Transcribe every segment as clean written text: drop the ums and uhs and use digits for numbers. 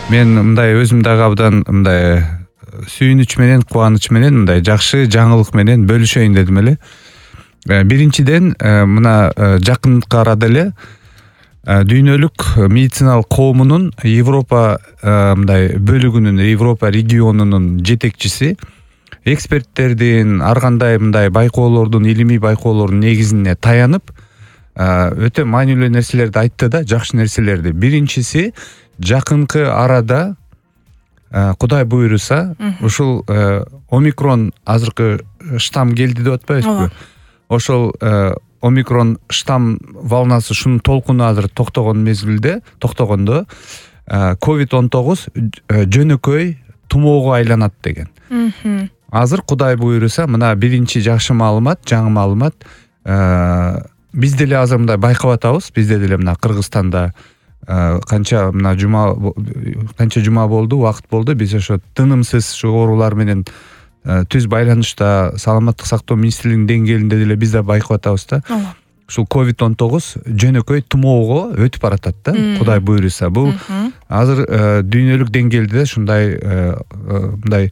Мен мындай өзүм дагы абдан мындай сүйүнүч менен, кубаныч менен мындай жакшы жаңылык менен бөлүшөйүн дедим эле. Биринчиден, мына жакынкы арада эле дүйнөлүк медициналык коомунун Европа мындай бөлүгүнүн, Европа регионунун жетекчиси эксперттердин ар кандай мындай байкоолордун, илимий байкоолордун негизине таянып өтө маанилүү нерселерди айтты да, жакшы нерселерди. Биринчиси, жакынкы арада Кудай буйруса, ушул омикрон азыркы штамм келди деп атпайбызбы? Ошол омикрон штамм волнасы, шунун толкуну азыр токтогондо COVID-19 жөнөкөй тумоого айланат деген. Азыр Кудай буйруса, мына биринчи жакшы маалымат, жаңы маалымат. Биз деле азыр мындай байкап атабыз. Бизде деле мына Кыргызстанда канча жума болду, убакыт болду. Биз ошо тынымсыз ушу оорулар менен түз байланышта саламаттык сактоо министрлигинин деңгээлинде деле биз да байкап атабыз да. Ушул COVID-19 жөнөкөй тумоого өтүп баратат да, Кудай буйруса. Бул азыр дүйнөлүк деңгээлде мындай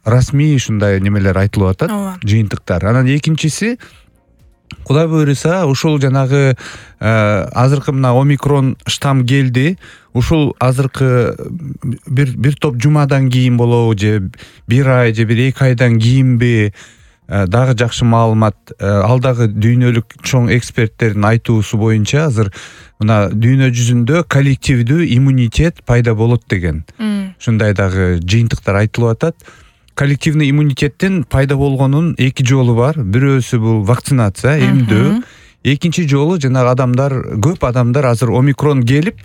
расмий ушундай немелер айтылып атат, жыйынтыктар. Анан экинчиси, Кудай буйруса, ушул жанагы азыркы мына омикрон штамм келди. Ушул азыркы бир топ жумадан кийин болобу, же бир ай, же бир 2 айдан кийинби, дагы жакшы маалымат. Ал дагы дүйнөлүк чоң эксперттердин айтуусу боюнча азыр мына дүйнө жүзүндө коллективдүү иммунитет пайда болот деген. Ушундай дагы жыйынтыктар айтылып атат. Коллективный иммунитеттин пайда болгонунун 2 жолу бар. Бирөөсү бул вакцинация, эмдөө. Экинчи жолу жанагы көп адамдар азыр омикрон келип,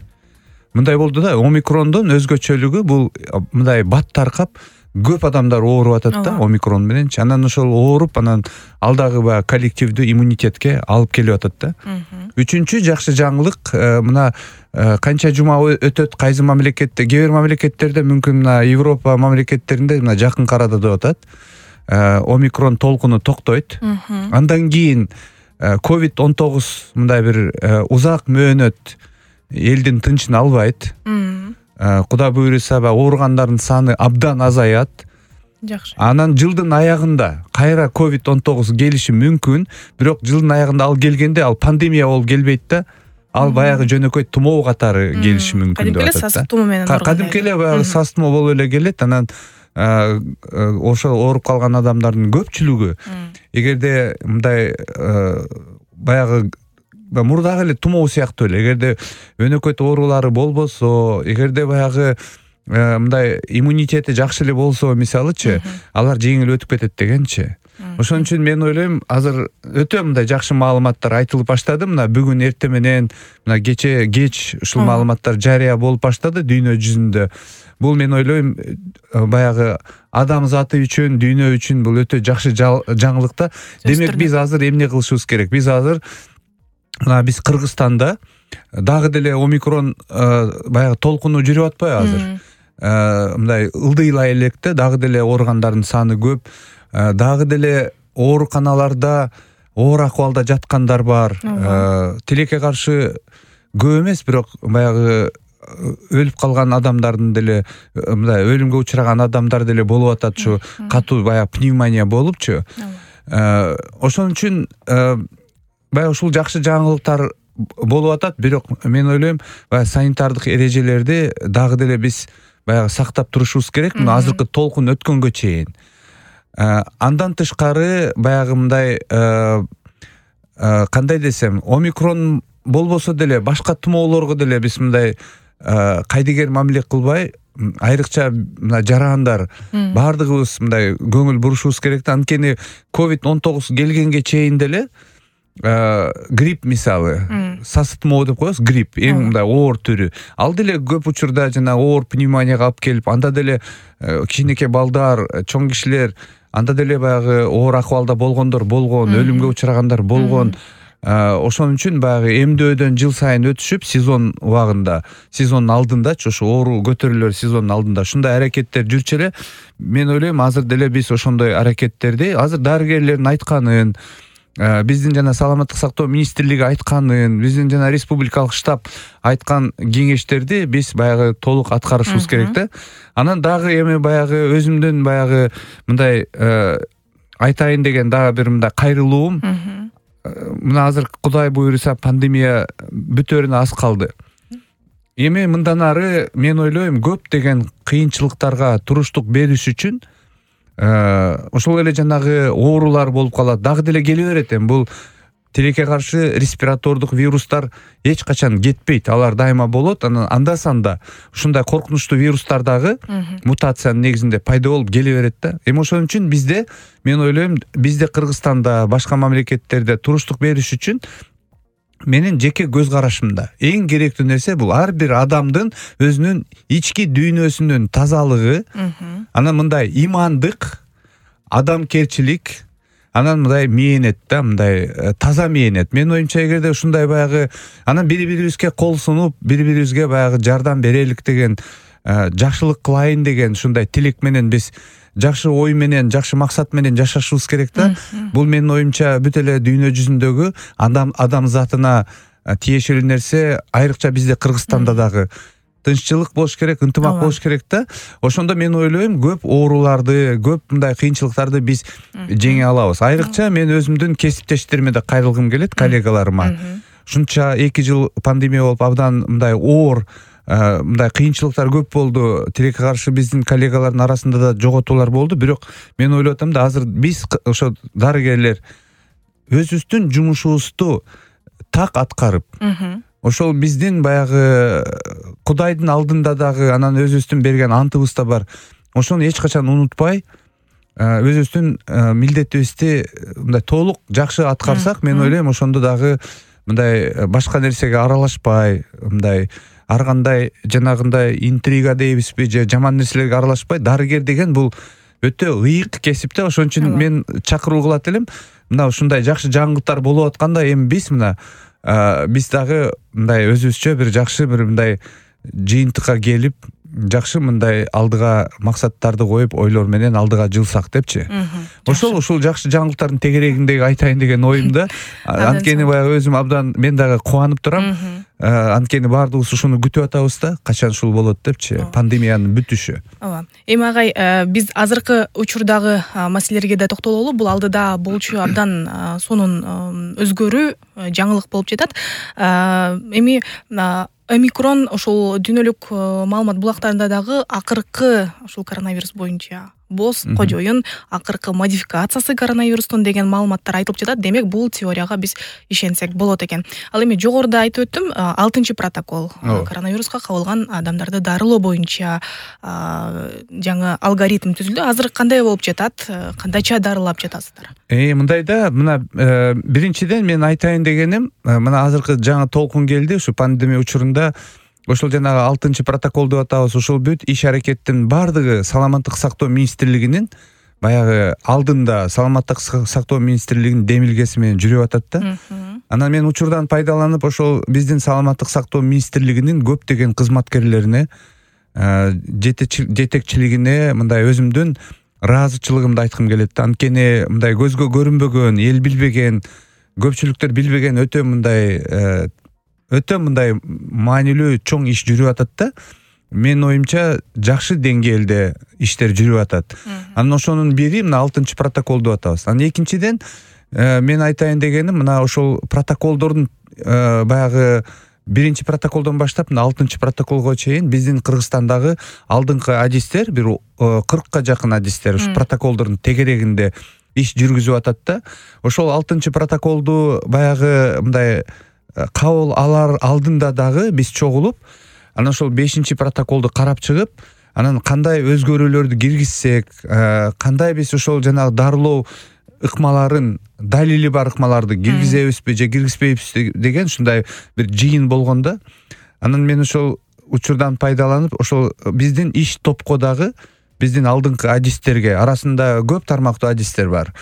мындай болду да, омикрондун өзгөчөлүгү бул мындай бат таркап, көп адамдар ооруп атат да омикрон менен. Анан ошол ооруп, анан ал дагы баягы коллективдүү иммунитетке алып келип атат да. Үчүнчү жакшы жаңылык, мына канча жума өтөт, кайсы мамлекетте, кээ бир мамлекеттерде, мүмкүн мына Европа мамлекеттеринде мына жакынкы арада деп атат, омикрон толкуну токтойт. Андан кийин COVID-19 мындай бир узак мөөнөт элдин тынчын албайт. Кудай буйруса, ооругандардын саны абдан азаят. Жакшы. Анан жылдын аягында кайра COVID-19 келиши мүмкүн, бирок жылдын аягында ал келгенде ал пандемия болуп келбейт да. Ал баягы жөнөкөй тумоо катары келиши мүмкүн деп атат да. Кадимки эле сасык тумоо менен ооруган. Кадимки эле баягы сасык тумоо болуп эле келет. Анан ошол ооруп калган адамдардын көпчүлүгү, эгерде мындай баягы мурдагы эле тумоо сыяктуу эле, эгерде өнөкөт оорулары болбосо, эгерде баягы мындай иммунитети жакшы эле болсо, мисалычы, алар жеңил өтүп кетет дегенчи. Ошон үчүн мен ойлойм, азыр өтө мындай жакшы маалыматтар айтылып баштады. Мына бүгүн эртең менен, мына кеч ушул маалыматтар жарыя болуп баштады дүйнө жүзүндө. Бул мен ойлойм, баягы адам заты үчүн, дүйнө үчүн бул өтө жакшы жаңылык да. Демек биз азыр эмне кылышыбыз керек? Биз азыр мына биз Кыргызстанда дагы деле омикрон баягы толкуну жүрүп атпайбы азыр? Мындай ылдыйлай электе, дагы деле ооругандардын саны көп. Дагы деле ооруканаларда оор акыбалда жаткандар бар. Тилекке каршы көп эмес, бирок баягы өлүп калган адамдардын деле, мындай өлүмгө учураган адамдар деле болуп атат, ушу катуу баягы пневмония болупчу. Ошон үчүн баягы ушул жакшы жаңылыктар болуп атат, бирок мен ойлойм, баягы санитардык эрежелерди дагы деле биз баягы сактап турушубуз керек, мына азыркы толкун өткөнгө чейин. Андан тышкары баягы мындай кандай десем, омикрон болбосо деле башка тумоолорго деле биз мындай кайдыгер мамиле кылбай, айрыкча мына жарандар баардыгыбыз мындай көңүл бурушубуз керек да. Анткени COVID-19 келгенге чейин деле грипп, мисалы, сасык тумоо деп коебуз, грипп, эң мындай оор түрү. Ал деле көп учурда жана оор пневмонияга алып келип, анда деле кичинекей балдар, чоң кишилер, анда деле баягы оор акыбалда болгондор болгон, өлүмгө учурагандар болгон. Ошон үчүн баягы эмдөөдөн жыл сайын өтүшүп, сезон убагында, сезондун алдындачы, ошо оору көтөрүлөр сезондун алдында ушундай аракеттер жүрчү эле. Мен ойлойм, азыр деле биз ошондой аракеттерди, азыр дарыгерлердин айтканын, биздин жана саламаттык сактоо министрлиги айтканын, биздин жана республикалык штаб айткан кеңештерди биз баягы толук аткарышыбыз керек да. Анан дагы эми баягы өзүмдүн баягы мындай айтайын деген дагы бир мындай кайрылуум. Мына азыр Кудай буйруса пандемия бүтөрүнө аз калды. Эми мындан ары мен ойлойм көптөгөн кыйынчылыктарга туруштук бериш үчүн ошол эле жанагы оорулар болуп калат, дагы деле келе берет. Эми бул тилекке каршы респиратордук вирустар эч качан кетпейт, алар дайыма болот. Анан анда-санда ушундай коркунучтуу вирустар дагы мутациянын негизинде пайда болуп келе берет да. Эми ошон үчүн бизде, мен ойлойм, бизде Кыргызстанда, башка мамлекеттерде туруштук бериш үчүн менин жеке көз карашымда эң керектүү нерсе бул ар бир адамдын өзүнүн ички дүйнөсүнүн тазалыгы, анан мындай имандык, адамкерчилик, анан мындай мээнет да, мындай таза мээнет. Менин оюмча эгерде ушундай баягы анан бири-бирибизге кол сунуп, бири-бирибизге баягы жардам берелик деген, жакшылык кылайын деген ушундай тилек менен биз жакшы ой менен, жакшы максат менен жашашыбыз керек да. Бул менин оюмча бүт эле дүйнө жүзүндөгү адам затына тиешелүү нерсе, айрыкча бизде Кыргызстанда дагы тынччылык болуш керек, ынтымак болуш керек да. Ошондо мен ойлойм көп ооруларды, көп мындай кыйынчылыктарды биз жеңе алабыз. Айрыкча мен өзүмдүн кесиптештериме да кайрылгым келет, коллегаларыма. Ушунча 2 жыл пандемия болуп абдан мындай оор мындай кыйынчылыктар көп болду. Тилекке каршы биздин коллегалардын арасында да жоготуулар болду. Бирок мен ойлоп атам да, азыр биз ошо дарыгерлер өзүбүздүн жумушубузду так аткарып, ошол биздин баягы Кудайдын алдында дагы анан өзүбүздүн берген антыбыз да бар. Ошону эч качан унутпай, өзүбүздүн милдетибизди мындай толук жакшы аткарсак, мен ойлойм ошондо дагы мындай башка нерсеге аралашпай, мындай ар кандай жанагындай интрига дейбизби, же жаман нерселерге аралашпай, дарыгер деген бул өтө ыйык кесип да. Ошон үчүн мен чакыруу кылат элем. Мына ушундай жакшы жаңылыктар болуп атканда, эми биз мына биз дагы мындай өзүбүзчө бир жакшы бир мындай жыйынтыкка келип, жакшы мындай алдыга максаттарды коюп, ойлор менен алдыга жылсак депчи. Ушул жакшы жаңылыктардын тегерегиндеги айтайын деген оюм да. Анткени баягы өзүм абдан мен дагы кубанып турам. Анткени баардыгыбыз ушуну күтүп атабыз да, качан ушул болот депчи, пандемиянын бүтүшү. Ооба. Эми агай, биз азыркы учурдагы маселелерге да токтололу. Бул алдыда болчу абдан сонун өзгөрүү, жаңылык болуп жатат. Эми омикрон ошол дүйнөлүк маалымат булактарында дагы акыркы ошол коронавирус боюнча боз кожоюн акыркы модификациясы коронавирустун деген маалыматтар айтылып жатат. Демек, бул теорияга биз ишенсек болот экен. Ал эми жогоруда айтып өттүм, 6-протокол коронавируска кабылган адамдарды дарылоо боюнча жаңы алгоритм түзүлдү. Азыр кандай болуп жатат? Кандайча дарылап жатасыздар? Мындай да, мына биринчиден мен айтайын дегеним, мына азыркы жаңы толкун келди, ушу пандемия учурунда ошол жанагы 6-протокол деп атабыз, ушул бүт иш-аракеттин баардыгы саламаттык сактоо министрлигинин баягы алдында, саламаттык сактоо министрлигинин демилгеси менен жүрүп атат да. Анан мен учурдан пайдаланып, ошол биздин саламаттык сактоо министрлигинин көптөгөн кызматкерлерине, жетекчилигине мындай өзүмдүн ыраазычылыгымды айткым келет да. Анткени мындай көзгө көрүнбөгөн, эл билбеген, көпчүлүктөр билбеген өтө мындай маанилүү чоң иш жүрүп атат да. Менин оюмча жакшы деңгээлде иштер жүрүп атат. Анан ошонун бири мына 6-протокол деп атабыз. Анан экинчиден мен айтайын дегеним, мына ошол протоколдордун баягы 1-протоколдон баштап мына 6-протоколго чейин биздин Кыргызстандагы алдыңкы адистер, бир 40ка жакын адистер ушу протоколдордун тегерегинде иш жүргүзүп атат да. Ошол 6-протоколду баягы мындай кабыл алар алдында дагы биз чогулуп, анан ошол 5-протоколду карап чыгып, анан кандай өзгөрүүлөрдү киргизсек, кандай биз ошол жанагы дарылоо ыкмаларын, далили бар ыкмаларды киргизебизби же киргизбейбизби деген ушундай бир жыйын болгондо, анан мен ошол учурдан пайдаланып, ошол биздин иш топко дагы биздин алдыңкы адистерге, арасында көп тармактуу адистер бар.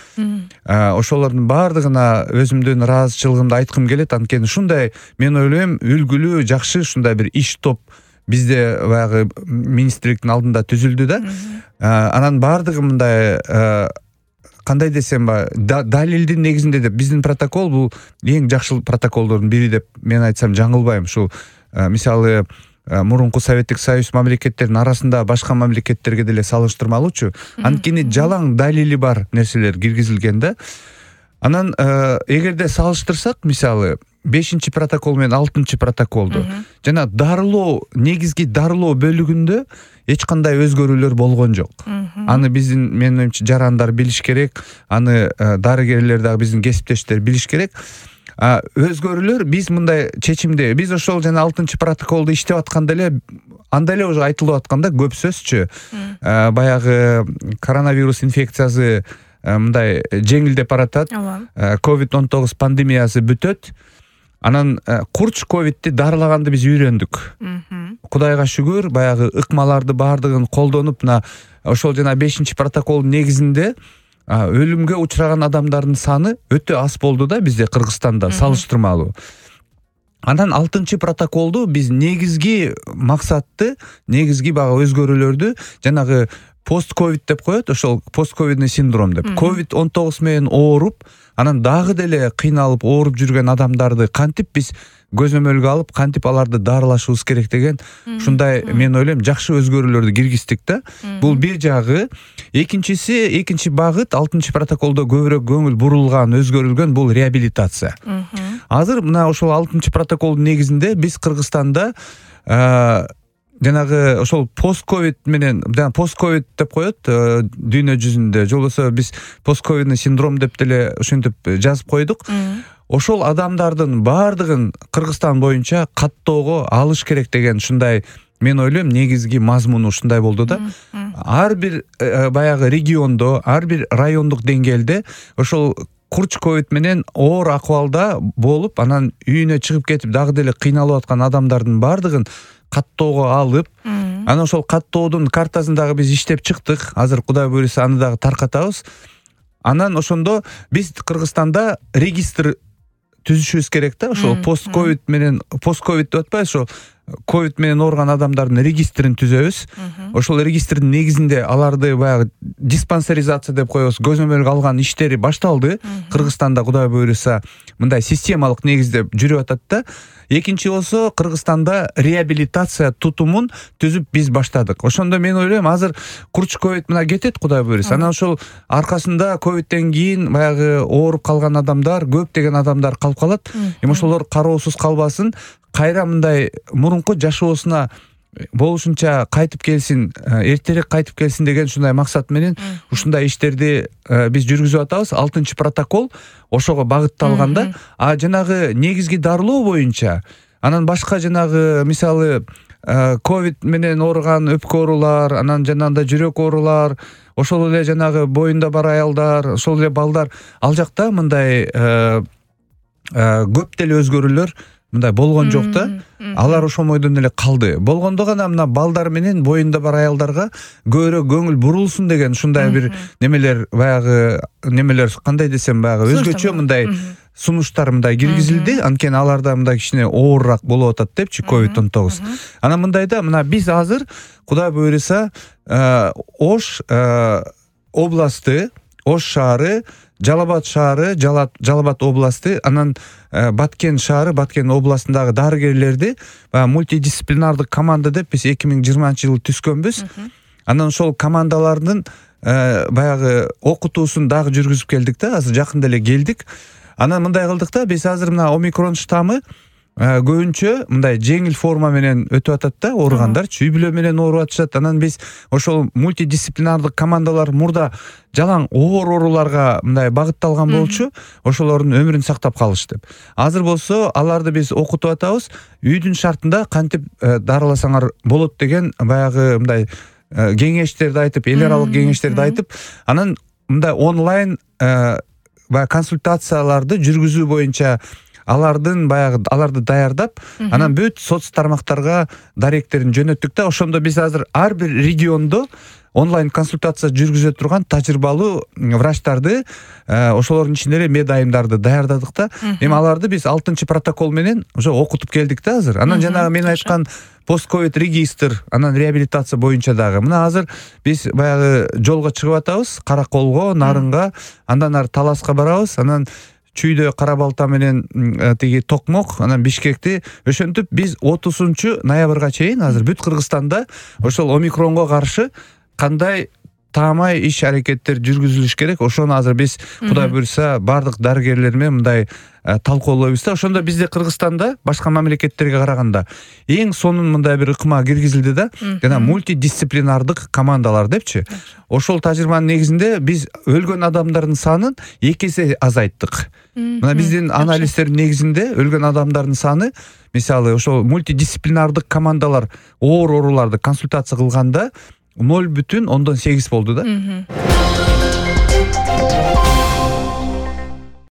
Ошолордун баардыгына өзүмдүн ыраазычылыгымды айткым келет. Анткени ушундай, мен ойлойм, үлгүлүү, жакшы ушундай бир иш топ бизде баягы министрликтин алдында түзүлдү да. Анан баардыгы мындай кандай десем далилдин негизинде деп биздин протокол бул эң жакшы протоколдордун бири деп мен айтсам жаңылбайм. Ушул мисалы мурунку Советтик Союз мамлекеттеринин арасында башка мамлекеттерге деле салыштырмалуучу. Анткени жалаң далили бар нерселер киргизилген да. Анан эгерде салыштырсак, мисалы 5 протокол менен 6 протоколду жана дарылоо, негизги дарылоо бөлүгүндө эч кандай өзгөрүүлөр болгон жок. Аны биздин, менин оюмча, жарандар билиш керек, аны дарыгерлер дагы биздин кесиптештер билиш керек. Өзгөрүүлөр биз мындай чечимде, биз ошол жана 6 протоколду иштеп атканда эле анда эле уже айтылып атканда көп сөзчү баягы коронавирус инфекциясы мындай жеңилдеп баратат. COVID-19 пандемиясы бүтөт. Анан курч ковидти дарылаганды биз үйрөндүк. Кудайга шүгүр, баягы ыкмаларды баардыгын колдонуп, ошол жана 5 протоколдун негизинде өлүмгө учураган адамдардын саны өтө аз болду да бизде, Кыргызстанда салыштырмалуу. Анан 6 протоколду биз негизги максатты, негизги баягы өзгөрүүлөрдү жанагы пост-ковид деп коет, ошол постковидный синдром деп. COVID-19 менен ооруп, анан дагы деле кыйналып ооруп жүргөн адамдарды кантип биз көзөмөлгө алып, кантип аларды дарылашыбыз керек деген ушундай, мен ойлойм, жакшы өзгөрүүлөрдү киргиздик да. Бул бир жагы. Экинчи багыт 6 протоколдо көбүрөөк көңүл бурулган, өзгөрүлгөн бул реабилитация. Азыр мына ошол 6 протоколдун негизинде биз Кыргызстанда жанагы ошол постковид менен, постковид деп коет дүйнө жүзүндө, же болбосо биз постковидный синдром деп деле ошентип жазып койдук. Ошол адамдардын баардыгын Кыргызстан боюнча каттоого алыш керек деген ушундай, мен ойлойм, негизги мазмуну ушундай болду да. Ар бир баягы региондо, ар бир райондук деңгээлде ошол курч ковид менен оор акыбалда болуп, анан үйүнө чыгып кетип дагы деле кыйналып аткан адамдардын баардыгын каттоого алып, анан ошол каттоодун картасын дагы биз иштеп чыктык. Азыр Кудай буйруса аны дагы таркатабыз. Анан ошондо биз Кыргызстанда регистр түзүшүбүз керек да. Ошол постковид менен, постковид деп атпайбыз, ошол ковид менен ооруган адамдардын регистрин түзөбүз. Ошол регистрдин негизинде аларды баягы диспансеризация деп коебуз, көзөмөлгө алган иштери башталды. Кыргызстанда Кудай буйруса мындай системалык негизде жүрүп атат да. Экинчи болсо, Кыргызстанда реабилитация тутумун түзүп биз баштадык. Ошондо мен ойлойм, азыр курч ковид мына кетет, Кудай буйруса. Анан ошол аркасында ковидтен кийин баягы ооруп калган адамдар, көптөгөн адамдар калып калат. Эми ошолор кароосуз калбасын, кайра мындай мурунку жашоосуна болушунча кайтып келсин, эртерээк кайтып келсин деген ушундай максат менен ушундай иштерди биз жүргүзүп атабыз. 6 протокол ошого багытталган да. Жанагы негизги дарылоо боюнча, анан башка жанагы мисалы ковид менен ооруган өпкө оорулар, анан жанагындай жүрөк оорулар, ошол эле жанагы боюнда бар аялдар, ошол эле балдар, ал жакта мындай көп деле өзгөрүүлөр мындай болгон жок да. Алар ошол бойдон эле калды. Болгондо гана мына балдар менен боюнда бар аялдарга көбүрөөк көңүл бурулсун деген ушундай бир немелер, баягы немелер, кандай десем, баягы өзгөчө мындай сунуштар мындай киргизилди. Анткени аларда мындай кичине оорураак болуп атат депчи COVID-19. Анан мындайда мына биз азыр Кудай буйруса Ош областы, Ош шаары, Жалал-Абад шаары, Жалал-Абад областы, анан Баткен шаары, Баткен областындагы дарыгерлерди мультидисциплинардык команда деп биз 2020-жылы түзгөнбүз. Анан ошол командалардын баягы окутуусун дагы жүргүзүп келдик да, азыр жакында эле келдик. Анан мындай кылдык да, биз азыр мына омикрон штаммы көбүнчө мындай жеңил форма менен өтүп атат да, ооругандарчы үй бүлө менен ооруп атышат. Анан биз ошол мультидисциплинардык командалар мурда жалаң оор ооруларга мындай багытталган болчу, ошолордун өмүрүн сактап калыш деп. Азыр болсо аларды биз окутуп атабыз, үйдүн шартында кантип дарыласаңар болот деген баягы мындай кеңештерди айтып, эл аралык кеңештерди айтып, анан мындай онлайн баягы консультацияларды жүргүзүү боюнча аларды даярдап, анан бүт соц тармактарга даректерин жөнөттүк да. Ошондо биз азыр ар бир региондо онлайн консультация жүргүзө турган тажрыйбалуу врачтарды, ошолордун ичинде эле медайымдарды даярдадык да. Эми аларды биз 6 протокол менен уже окутуп келдик да азыр. Анан жанагы мен айткан пост-ковид регистр, анан реабилитация боюнча дагы. Мына азыр биз баягы жолго чыгып атабыз, Караколго, Нарынга, андан ары Таласка барабыз, анан Чүйдө Кара Балта менен тиги Токмок, анан Бишкекти. Ошентип биз 30 ноябрга чейин азыр бүт Кыргызстанда ошол омикронго каршы кандай таамай иш-аракеттер жүргүзүлүш керек. Ошону азыр биз Кудай буйруса бардык дарыгерлер менен мындай талкуулойбуз да. Ошондо бизде Кыргызстанда башка мамлекеттерге караганда эң сонун мындай бир ыкма киргизилди да. Жана мультидисциплинардык командалар депчи. Ошол тажрыйбанын негизинде биз өлгөн адамдардын санын 2 эсе азайттык. Мына биздин анализдердин негизинде өлгөн адамдардын саны, мисалы ошол мультидисциплинардык командалар оор ооруларды консультация кылганда 0,8 болду да.